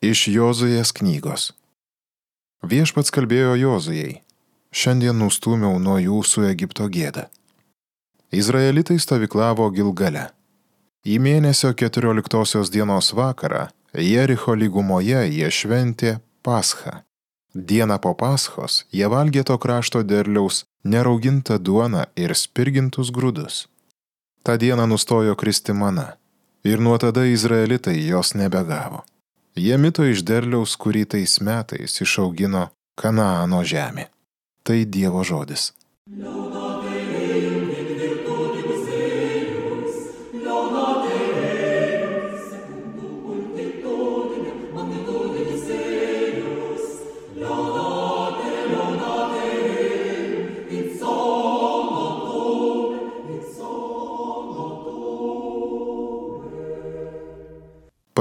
Iš Jozujės knygos. Viešpats kalbėjo Jozujai: šiandien nustūmiau nuo jūsų Egipto gėdą. Izraelitai stovyklavo Gilgale. Į mėnesio 14 dienos vakarą Jericho lygumoje jie šventė Paschą. Dieną po Paschos jie valgė to krašto derliaus neraugintą duoną ir spirgintus grūdus. Ta dieną nustojo kristi mana, ir nuo tada izraelitai jos nebegavo. Jie mito iš derliaus, kurį tais metais išaugino Kanaano žemė. Tai Dievo žodis.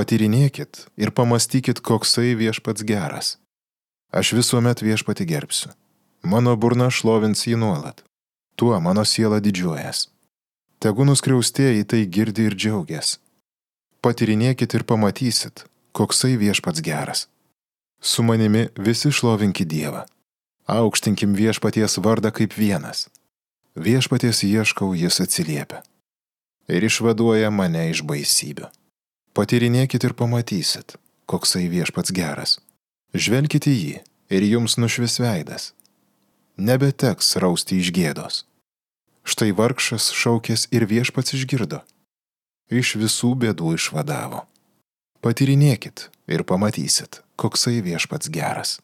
Patyrinėkit ir pamastykit, koksai viešpats geras. Aš visuomet viešpatį gerbsiu. Mano burna šlovins jį nuolat. Tuo mano siela didžiuojas. Tegu nuskriaustieji tai girdi ir džiaugias. Patyrinėkit ir pamatysit, koksai viešpats geras. Su manimi visi šlovinkit Dievą. Aukštinkim viešpaties vardą kaip vienas. Viešpaties ieškau, jis atsiliepia. Ir išvaduoja mane iš baisybių. Patyrinėkit ir pamatysit, koksai viešpats geras. Žvelkit į jį ir jums nušvis veidas. Nebeteks rausti iš gėdos. Štai vargšas šaukės ir viešpats išgirdo. Iš visų bėdų išvadavo. Patyrinėkit ir pamatysit, koksai viešpats geras.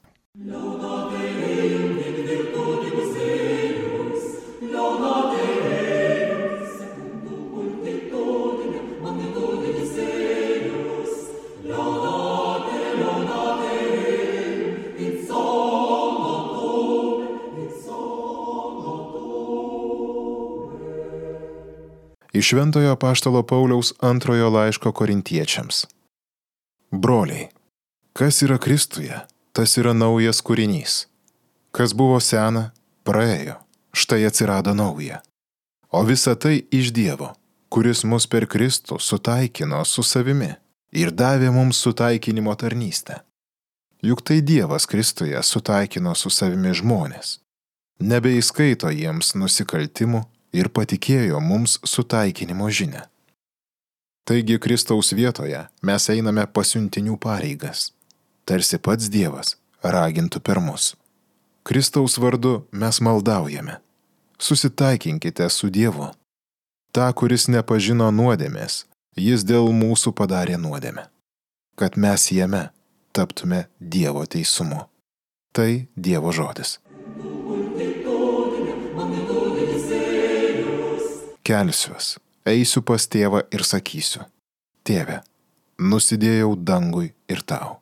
Iš Šventojo apaštalo Pauliaus antrojo laiško Korintiečiams. Broliai, kas yra Kristuje, tas yra naujas kūrinys. Kas buvo sena, praėjo, štai atsirado nauja. O visa tai iš Dievo, kuris mus per Kristų sutaikino su savimi ir davė mums sutaikinimo tarnystę. Juk tai Dievas Kristuje sutaikino su savimi žmonės. Nebeįskaito jiems nusikaltimų ir patikėjo mums sutaikinimo žinią. Taigi Kristaus vietoje mes einame pasiuntinių pareigas, tarsi pats Dievas ragintų per mus. Kristaus vardu mes maldaujame. Susitaikinkite su Dievu. Ta, kuris nepažino nuodėmės, jis dėl mūsų padarė nuodėmę, kad mes jame taptume Dievo teisumu. Tai Dievo žodis. Kelsiuos, eisiu pas tėvą ir sakysiu: Tėve, nusidėjau dangui ir tau.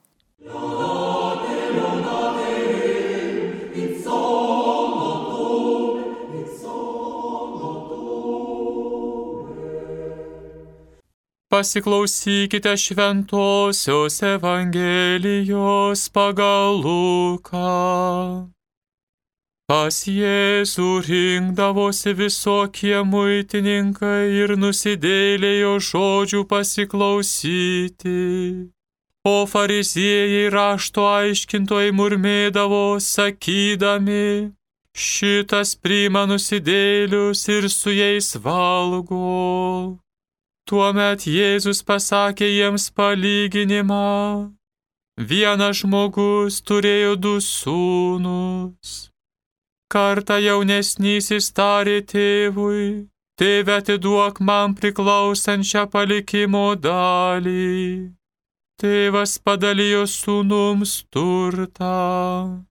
Pasiklausykite Šventosios Evangelijos pagal Luką. Pas Jėzų rinkdavosi visokie muitininkai ir nusidėjėliai jo žodžių pasiklausyti. O fariziejai rašto aiškintojai murmėdavo, sakydami: šitas priima nusidėjėlius ir su jais valgo. Tuomet Jėzus pasakė jiems palyginimą. Vienas žmogus turėjo 2 sūnus. Kartą jaunesnysis tarė tėvui: Tėve, atiduok man priklausančią palikimo dalį. Tėvas padalijo sūnums turtą.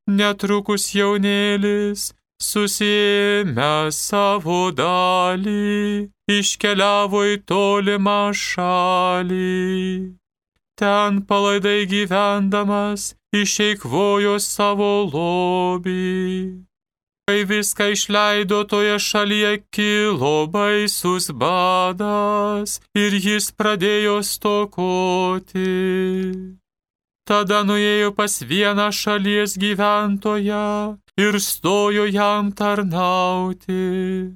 Netrukus jaunėlis, susiėmęs savo dalį, iškeliavo į tolimą šalį. Ten palaidai gyvendamas išeikvojo savo lobį. Kai viską išleido, toje šalyje kilo baisus badas ir jis pradėjo stokoti. Tada nuėjo pas vieną šalies gyventoją ir stojo jam tarnauti.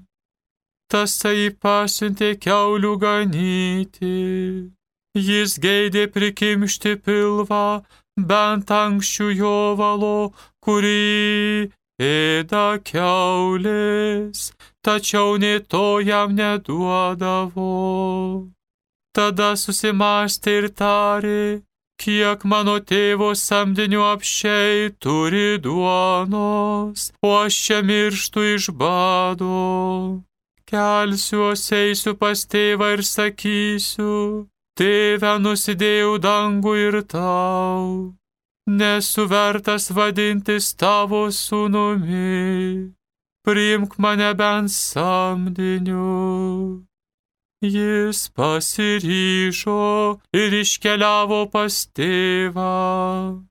Tasai pasiuntė kiaulių ganyti. Jis geidė prikimšti pilvą, bent ankščių jovalo, kurį ėda kiaulės, tačiau nė to jam neduodavo. Tada susimąstė ir tarė, kiek mano tėvo samdinių apsčiai turi duonos, o aš čia mirštu iš bado. Kelsiuos, eisiu pas tėvą ir sakysiu, Tėve, nusidėjau dangų ir tau, nesu vertas vadintis tavo sūnumi, priimk mane bent samdiniu. Jis pasiryžo ir iškeliavo pas tėvą.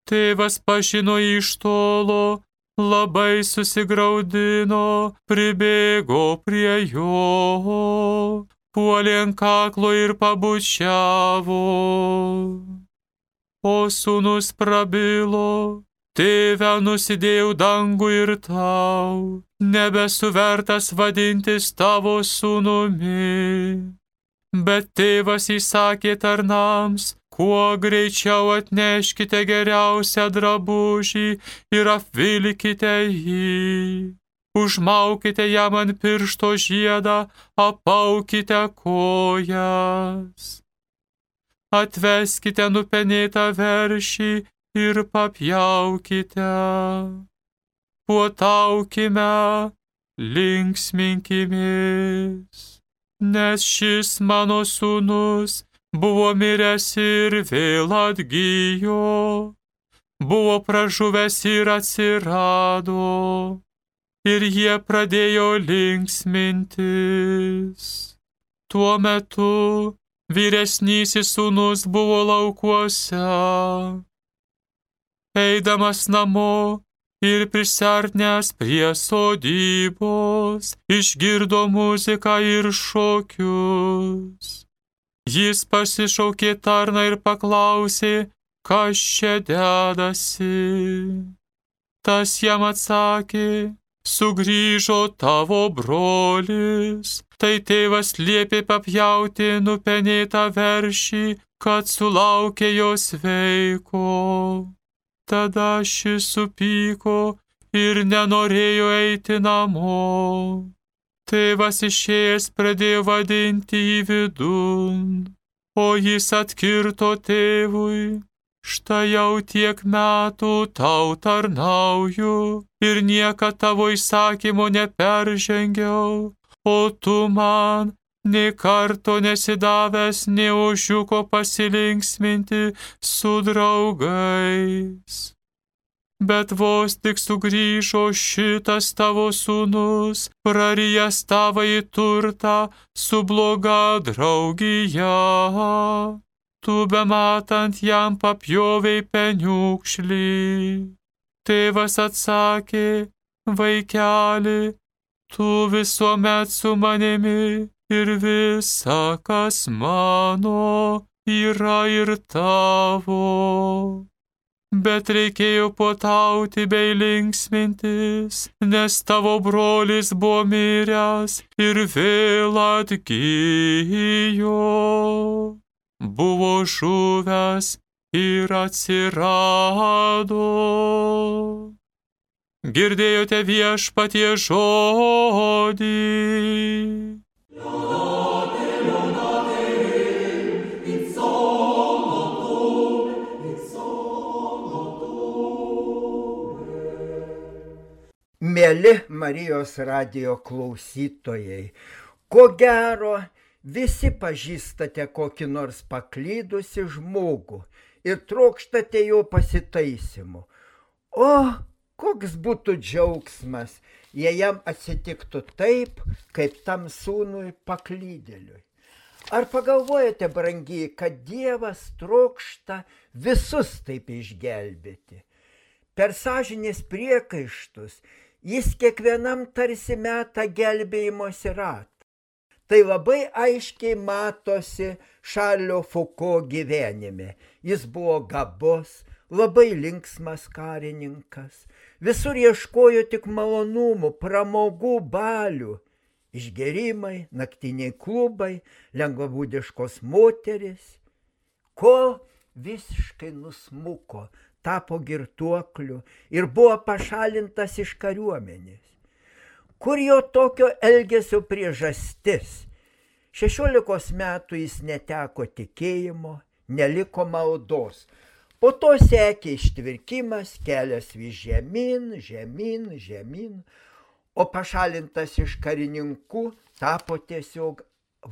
Tėvas pažino iš tolo, labai susigraudino, pribėgo prie jo, puolė ant kaklo ir pabučiavo. O sūnus prabilo, tėve, nusidėjau dangų ir tau, nebesu vertas vadintis tavo sūnumi. Bet tėvas įsakė tarnams, kuo greičiau atneškite geriausią drabužį ir apvilkite jį. Užmaukite jam ant piršto žiedą, apaukite kojas. Atveskite nupenėtą veršį ir papjaukite. Puotaukime, linksminkimės, nes šis mano sūnus buvo miręs ir vėl atgijo, buvo pražuvęs ir atsirado. Ir jie pradėjo linksmintis. Tuo metu vyresnysis sūnus buvo laukuose. Eidamas namo ir prisartnęs prie sodybos, išgirdo muziką ir šokius. Jis pasišaukė tarną ir paklausė, kas čia dedasi. Tas jam atsakė, sugrįžo tavo brolis, tai tėvas liepė papjauti nupenėtą veršį, kad sulaukė jo sveiko. Tada šis supyko ir nenorėjo eiti namo. Tėvas išėjęs pradėjo vadinti jį vidun, o jis atkirto tėvui, štai jau tiek metų tau tarnauju ir niekad tavo įsakymo neperžengiau, o tu man nė karto nesidavęs nė ožiuko pasilinksminti su draugais. Bet vos tik sugrįžo šitas tavo sūnus, prarijęs tavąjį turtą su bloga draugija. Tu bematant jam papjovei peniukšlį. Tėvas atsakė, vaikeli, tu visuomet su manimi ir visa, kas mano, yra ir tavo. Bet reikėjo puotauti bei linksmintis, nes tavo brolis buvo miręs ir vėl atgijo. Buvo žuvęs ir atsirado. Girdėjote viešpatie žodį. Mieli Marijos radijo klausytojai, ko gero, visi pažįstate kokį nors paklydusi žmogų ir trokštate jo pasitaisymo. O koks būtų džiaugsmas, jei jam atsitiktų taip, kaip tam sūnui paklydėliui. Ar pagalvojate, brangiai, kad Dievas trokšta visus taip išgelbėti? Per sąžinės priekaištus jis kiekvienam tarsi meta gelbėjimosi ratą. Tai labai aiškiai matosi Šarlio Fuko gyvenime. Jis buvo gabus, labai linksmas karininkas. Visur ieškojo tik malonumų, pramogų, balių. Išgerimai, naktiniai klubai, lengvabūdiškos moterys. kol visiškai nusmuko, tapo girtuokliu ir buvo pašalintas iš kariuomenės. Kur jo tokio elgesio priežastis? 16 metų jis neteko tikėjimo, neliko maldos. Po to sekė ištvirkimas, kelias vis žemyn, o pašalintas iš karininkų tapo tiesiog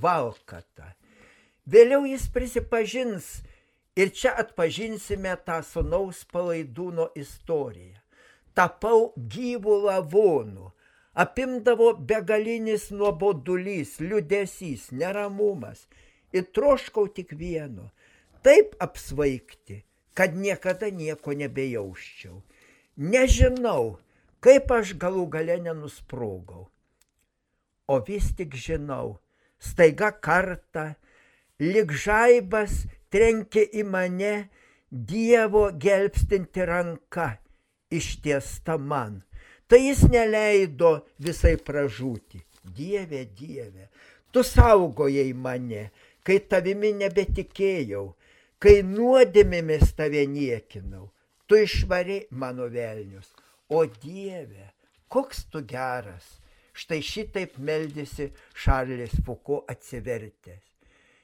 valkata. Vėliau jis prisipažins ir čia atpažinsime tą sūnaus Palaidūno istoriją. Tapau gyvų lavonų. Apimdavo begalinis nuobodulys, liūdesys, neramumas ir troškau tik vieno – taip apsvaigti, kad niekada nieko nebejausčiau. Nežinau, kaip aš galų gale nenusprogau. O vis tik žinau, staiga kartą, lyg žaibas trenkė į mane Dievo gelbstinti ranka, ištiesta man. Tai jis neleido visai pražūti. Dieve, Dieve, tu saugojai mane, kai tavimi nebetikėjau, kai nuodėmėmis tave niekinau. Tu išvarei mano velnius. O Dieve, koks tu geras. Štai šitaip meldėsi Šarlis Fuko atsivertęs.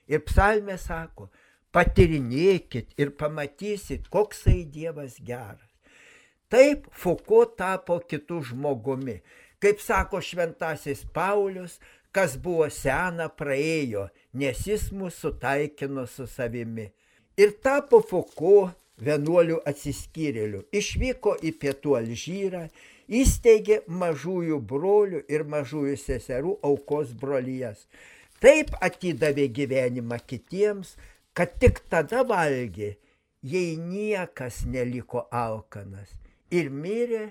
Ir psalmė sako, patyrinėkit ir pamatysit, koksai Dievas geras. Taip Fuko tapo kitų žmogumi. Kaip sako šventasis Paulius, kas buvo sena praėjo, nes jis mus sutaikino su savimi. Ir tapo Fuko vienuolių atsiskyrėlių. Išvyko į pietų Alžyrą, įsteigė mažųjų brolių ir mažųjų seserų aukos brolijas. Taip atidavė gyvenimą kitiems, kad tik tada valgė, jei niekas neliko alkanas. Ir mirė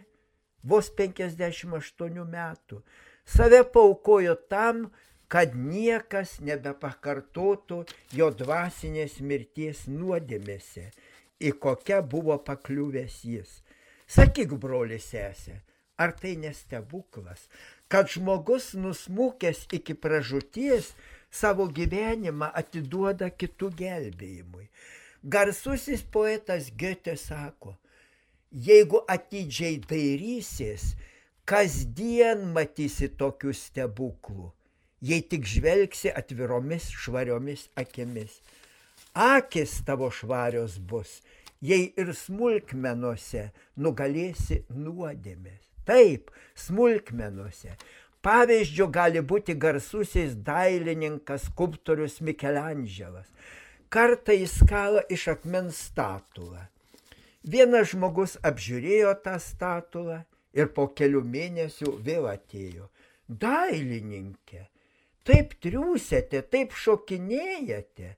vos 58 metų. Save paaukojo tam, kad niekas nebepakartotų jo dvasinės mirties nuodėmėse, į kokią buvo pakliuvęs jis. Sakyk, broli sesė, ar tai nestebuklas, kad žmogus nusmukęs iki pražūties savo gyvenimą atiduoda kitų gelbėjimui. Garsusis poetas Goethe sako, jeigu atidžiai dairysies, kasdien matysi tokių stebuklų, jei tik žvelgsi atviromis švariomis akimis. Akis tavo švarios bus, jei ir smulkmenose nugalėsi nuodėmės. Taip, smulkmenose. Pavyzdžiu gali būti garsusis dailininkas, skulptorius Mikelandželas. Kartą jis kala iš akmens statulą. Vienas žmogus apžiūrėjo tą statulą ir po kelių mėnesių vėl atėjo. Dailininkė, taip triūsėte, taip šokinėjate,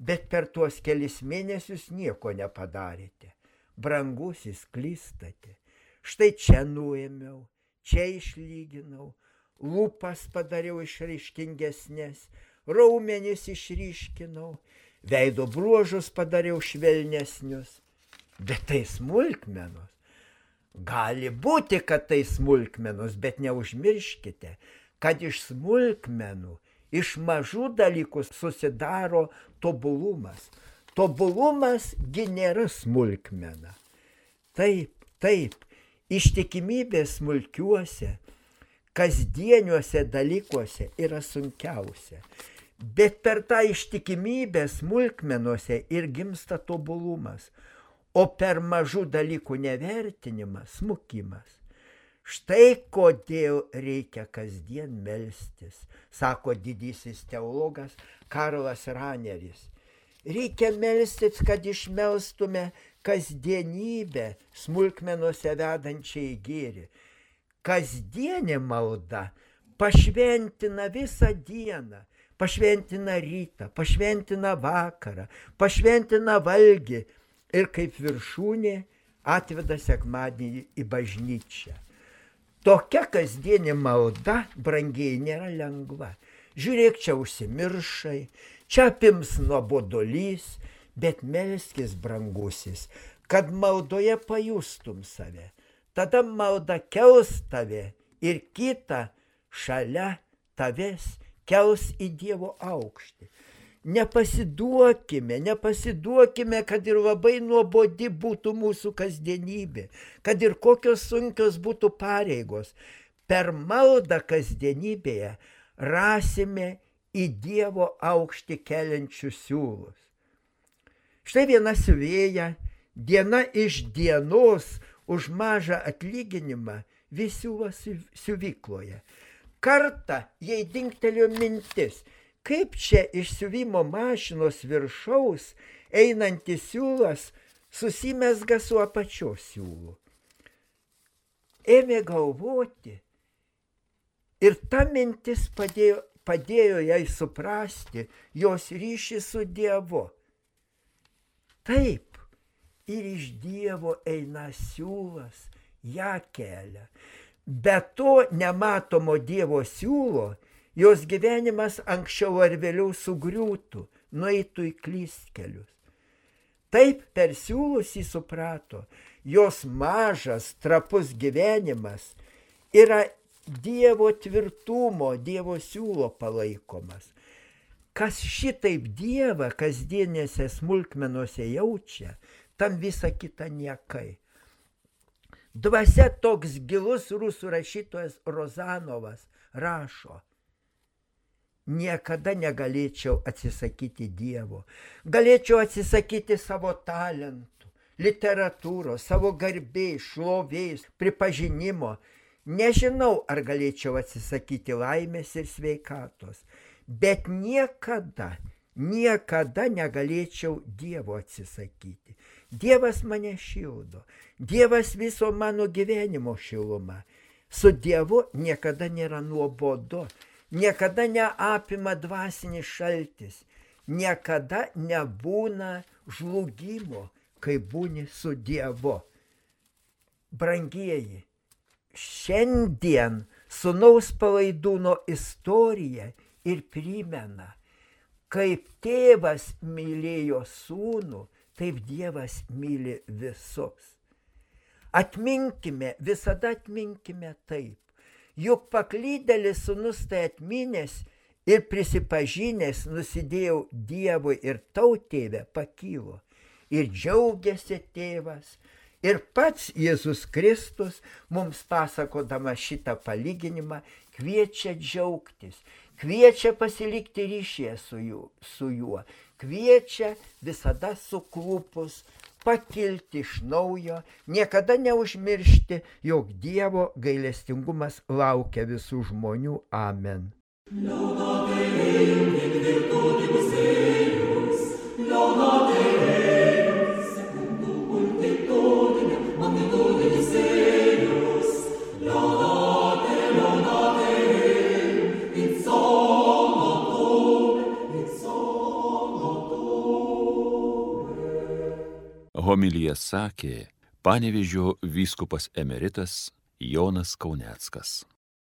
bet per tuos kelis mėnesius nieko nepadarėte. Brangusis, klystate. Štai čia nuėmiau, čia išlyginau, lūpas padariau išraiškingesnės, raumenis išryškinau, veido bruožus padariau švelnesnius. Bet tai smulkmenos. Gali būti, kad tai smulkmenos, bet neužmirškite, kad iš smulkmenų, iš mažų dalykų susidaro tobulumas. Tobulumasgi nėra smulkmena. Taip, ištikimybė smulkiuose, kasdieniuose dalykuose yra sunkiausia. Bet per tą ištikimybę smulkmenuose ir gimsta tobulumas. O per mažų dalykų nevertinimą smukimas. Štai kodėl reikia kasdien melstis, sako didysis teologas Karlas Raneris. Reikia melstis, kad išmelstume kasdienybę smulkmenuose vedančią į gėrį. Kasdienė malda pašventina visą dieną, pašventina rytą, pašventina vakarą, pašventina valgį. Ir kaip viršūnė atveda sekmadienį į bažnyčią. Tokia kasdienė malda, brangiai, nėra lengva. Žiūrėk, čia užsimiršai, čia apims nuobodulys, bet melskis, brangusis, kad maldoje pajustum save. Tada malda kels tave ir kitą šalia tavęs kels į Dievo aukštį. nepasiduokime, kad ir labai nuobodi būtų mūsų kasdienybė, kad ir kokios sunkios būtų pareigos. Per maldą kasdienybėje rasime į Dievo aukštį keliančius siūlus. Štai viena siuvėja diena iš dienos už mažą atlyginimą vis siuva siuvykloje. Kartą jai dingtelėjo mintis, kaip čia iš siuvimo mašinos viršaus einantis siūlas susimezga su apačios siūlu. Ėmė galvoti ir ta mintis padėjo jai suprasti jos ryšį su Dievu. Taip, ir iš Dievo eina siūlas, ją kelia. Be to nematomo Dievo siūlo, jos gyvenimas anksčiau ar vėliau sugriūtų, nueitų į klystkelius. Taip per siūlus jį suprato, jos mažas, trapus gyvenimas yra Dievo tvirtumo, Dievo siūlo palaikomas. Kas šitaip Dievą kasdienėse smulkmenose jaučia, tam visa kita niekai. Dvasia toks gilus rusų rašytojas Rozanovas rašo: niekada negalėčiau atsisakyti Dievo, galėčiau atsisakyti savo talentų, literatūros, savo garbės, šlovės, pripažinimo. Nežinau, ar galėčiau atsisakyti laimės ir sveikatos, bet niekada negalėčiau Dievo atsisakyti. Dievas mane šildo, Dievas viso mano gyvenimo šiluma. Su Dievu niekada nėra nuobodu, niekada neapima dvasinis šaltis, niekada nebūna žlugimo, kai būni su Dievu. Brangieji, šiandien sūnaus palaidūno istorija ir primena, kaip tėvas mylėjo sūnų, taip Dievas myli visus. Atminkime, visada atminkime taip. Juk paklydėlis sūnus tai atminęs ir prisipažinęs nusidėjau Dievui ir tau, tėve, pakylo. Ir džiaugiasi tėvas. Ir pats Jėzus Kristus mums pasakodama šitą palyginimą kviečia džiaugtis, kviečia pasilikti ryšyje su juo, kviečia visada suklupus pakilti iš naujo, niekada neužmiršti, jog Dievo gailestingumas laukia visų žmonių. Amen. Homiliją sakė Panevėžio vyskupas emeritas Jonas Kauneckas.